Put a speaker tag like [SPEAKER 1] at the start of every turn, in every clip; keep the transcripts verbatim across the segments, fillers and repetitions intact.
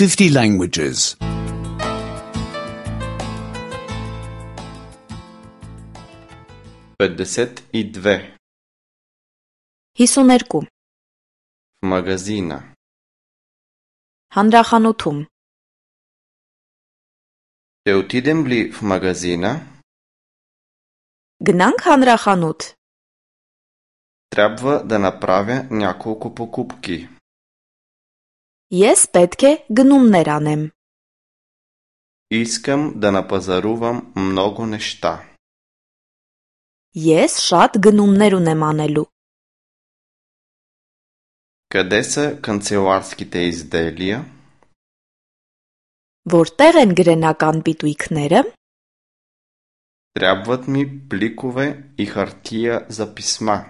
[SPEAKER 1] fifty languages.
[SPEAKER 2] петдесет и две.
[SPEAKER 3] հիսուն երկու.
[SPEAKER 2] В магазина.
[SPEAKER 3] Հանրախանութում.
[SPEAKER 2] Ще отидем ли в магазина?
[SPEAKER 3] Գնանք հանրախանութ.
[SPEAKER 2] Трябва да направя няколко покупки.
[SPEAKER 3] Ես պետք է գնումներ անեմ.
[SPEAKER 2] Искам да напазарувам много неща.
[SPEAKER 3] Ես շատ գնումներ ունեմ անելու.
[SPEAKER 2] Къде са канцеларските изделия?
[SPEAKER 3] Որտեղ են գրենական պիտույքները?
[SPEAKER 2] Трябват ми пликове и хартия за писма.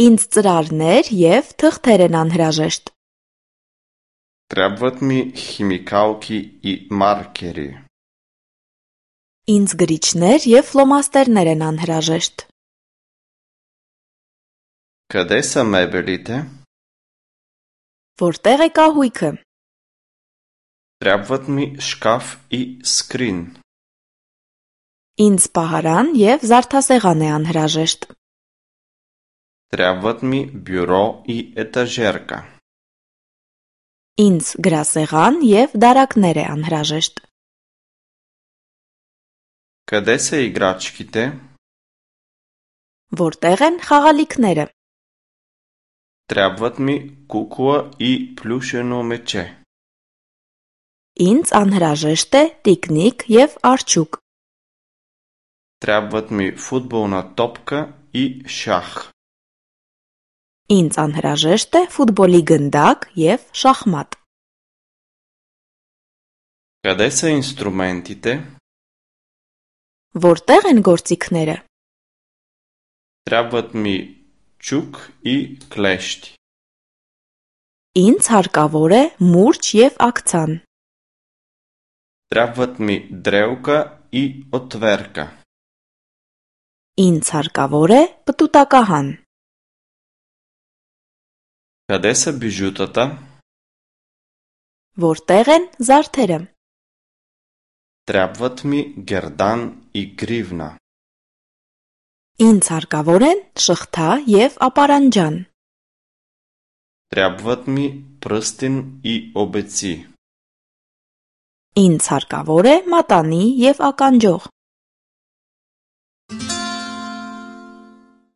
[SPEAKER 3] Ինձ ծրարներ և թղթեր են անհրաժեշտ.
[SPEAKER 2] Трябват ми химикалки и маркери.
[SPEAKER 3] Ինձ գրիչներ և ֆլոմաստերներ են անհրաժեշտ.
[SPEAKER 2] Къде са мебелите?
[SPEAKER 3] Որտեղ է կահույքը?
[SPEAKER 2] Трябват ми шкаф и скрин.
[SPEAKER 3] Ինձ պահարան և զարդասեղան է անհրաժեշտ.
[SPEAKER 2] Трябват ми бюро и етажерка.
[SPEAKER 3] Ինձ գրասեղան և դարակներ է անհրաժեշտ.
[SPEAKER 2] Къде са играчките?
[SPEAKER 3] Որտեղ են խաղալիքները?
[SPEAKER 2] Трябват ми кукла и плюшено мече.
[SPEAKER 3] Ինձ անհրաժեշտ է տիկնիկ և արջուկ.
[SPEAKER 2] Трябват ми футболна топка и шах.
[SPEAKER 3] Ինձ անհրաժեշտ է ֆուտբոլի գնդակ և շախմատ.
[SPEAKER 2] Къде са инструментите?
[SPEAKER 3] Որտեղ են գործիքները?
[SPEAKER 2] Трябват ми чук и клещи.
[SPEAKER 3] Ինձ հարկավոր է մուրճ և աքցան.
[SPEAKER 2] Трябват ми дрелка и отверка.
[SPEAKER 3] Ինձ հարկավոր է պտուտակահան.
[SPEAKER 2] Къде са бижутата?
[SPEAKER 3] Որտեղ են զարդերը?
[SPEAKER 2] Трябват ми гердан и гривна.
[SPEAKER 3] Ինձ հարկավոր են շղթա և ապարանջան.
[SPEAKER 2] Трябват ми пръстен и обеци.
[SPEAKER 3] Ինձ հարկավոր է մատանի և ականջող.